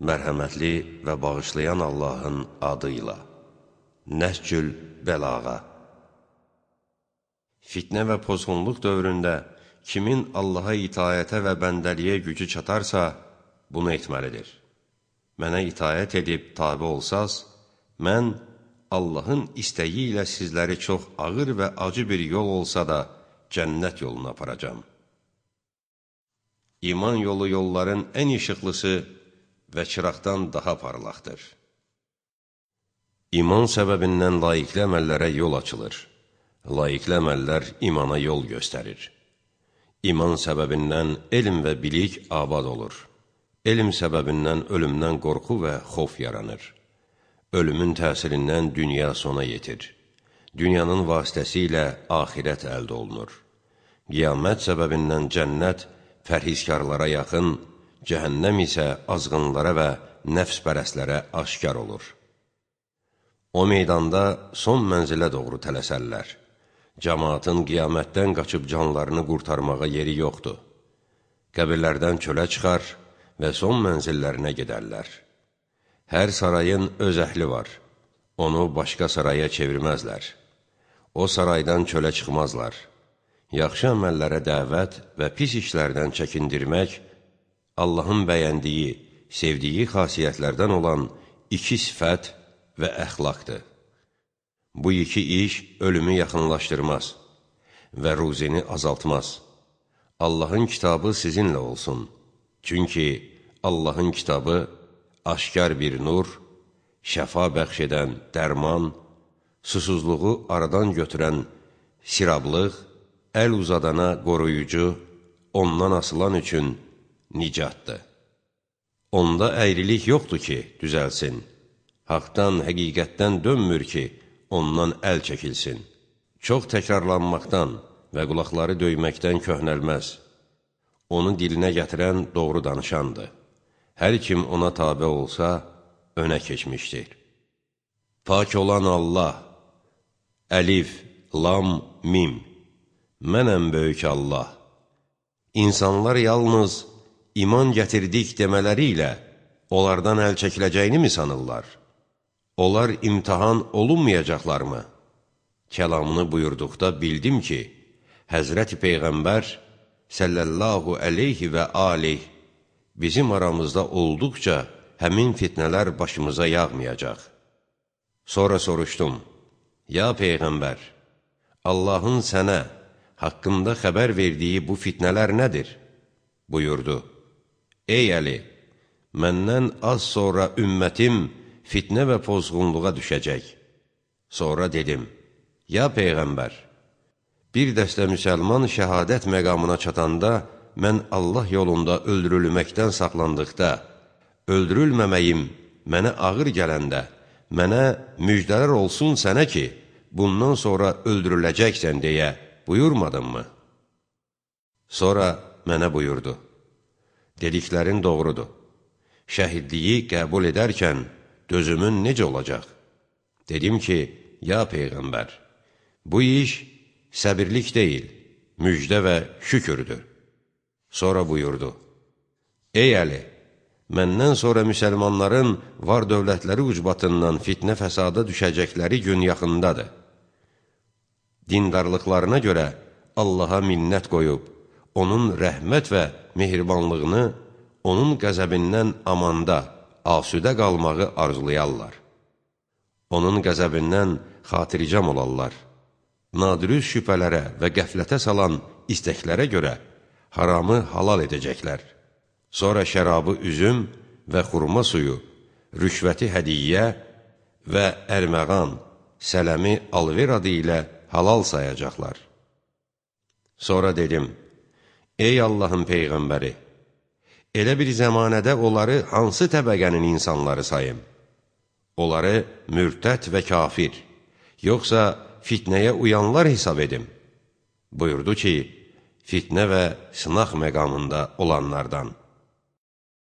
Mərhəmətli və bağışlayan Allahın adıyla. Nəhcül Bəlağa. Fitnə və pozğunluq dövründə kimin Allaha itayətə və bəndəliyə gücü çatarsa, bunu etməlidir. Mənə itayət edib tabi olsaz, mən Allahın istəyi ilə sizləri çox ağır və acı bir yol olsa da cənnət yoluna aparacam. İman yolu yolların ən işıqlısı və çıraqdan daha parlaqdır. İman səbəbindən layiqli əməllərə yol açılır. Layiqli əməllər imana yol göstərir. İman səbəbindən elm və bilik abad olur. Elm səbəbindən ölümdən qorxu və xof yaranır. Ölümün təsirindən dünya sona yetir. Dünyanın vasitəsilə axirət əldə olunur. Qiyamət səbəbindən cənnət pərhizkarlara yaxın, cəhənnəm isə azğınlara və nəfs-pərəstlərə aşkar olur. O meydanda son mənzilə doğru tələsərlər. Cəmaatın qiyamətdən qaçıb canlarını qurtarmağa yeri yoxdur. Qəbirlərdən çölə çıxar və son mənzillərinə gedərlər. Hər sarayın öz əhli var. Onu başqa saraya çevirməzlər. O saraydan çölə çıxmazlar. Yaxşı əməllərə dəvət və pis işlərdən çəkindirmək Allahın bəyəndiyi, sevdiyi xasiyyətlərdən olan iki sifət və əxlaqdır. Bu iki iş ölümü yaxınlaşdırmaz və ruzini azaltmaz. Allahın kitabı sizinlə olsun. Çünki Allahın kitabı aşkar bir nur, şəfa bəxş edən dərman, susuzluğu aradan götürən sirablıq, əl uzadana qoruyucu, ondan asılan üçün nicatdır. Onda əyrilik yoxdur ki, düzəlsin. Haqdan, həqiqətdən dönmür ki, ondan əl çəkilsin. Çox təkrarlanmaqdan və qulaqları döyməkdən köhnəlməz. Onu dilinə gətirən doğru danışandır. Hər kim ona tabe olsa, önə keçmişdir. Pak olan Allah, əlif, lam, mim. Mənəm böyük Allah. İnsanlar yalnız iman gətirdik demələri ilə onlardan əl çəkiləcəyini mi sanırlar? Onlar imtihan olunmayacaqlarmı? Kəlamını buyurduqda bildim ki, Həzrəti Peyğəmbər səllallahu əleyhi və aleyh bizim aramızda olduqca həmin fitnələr başımıza yağmayacaq. Sonra soruşdum, ya Peyğəmbər, Allahın sənə haqqında xəbər verdiyi bu fitnələr nədir? Buyurdu, ey Əli, məndən az sonra ümmətim fitnə və pozğunluğa düşəcək. Sonra dedim, ya Peyğəmbər, bir dəstə müsəlman şəhadət məqamına çatanda, mən Allah yolunda öldürülməkdən saxlandıqda, öldürülməməyim mənə ağır gələndə, mənə müjdələr olsun sənə ki, bundan sonra öldürüləcəksən deyə buyurmadın mı? Sonra mənə buyurdu, dediklərin doğrudur. Şəhidliyi qəbul edərkən dözümün necə olacaq? Dedim ki, ya Peyğəmbər, bu iş səbirlik deyil, müjdə və şükürdür. Sonra buyurdu, ey Əli, məndən sonra müsəlmanların var dövlətləri ucbatından fitnə fəsada düşəcəkləri gün yaxındadır. Dindarlıqlarına görə Allaha minnət qoyub, onun rəhmət və mehribanlığını, onun qəzəbindən amanda, asudə qalmağı arzulayarlar. Onun qəzəbindən xatiricam olarlar. Nadirüz şübhələrə və qəflətə salan istəklərə görə haramı halal edəcəklər. Sonra şərabı üzüm və xurma suyu, rüşvəti hədiyyə və ərməğan, sələmi alver adı ilə halal sayacaqlar. Sonra dedim, ey Allahın Peyğəmbəri, elə bir zəmanədə onları hansı təbəqənin insanları sayım? Onları mürtəd və kafir, yoxsa fitnəyə uyanlar hesab edim? Buyurdu ki, fitnə və sınaq məqamında olanlardan.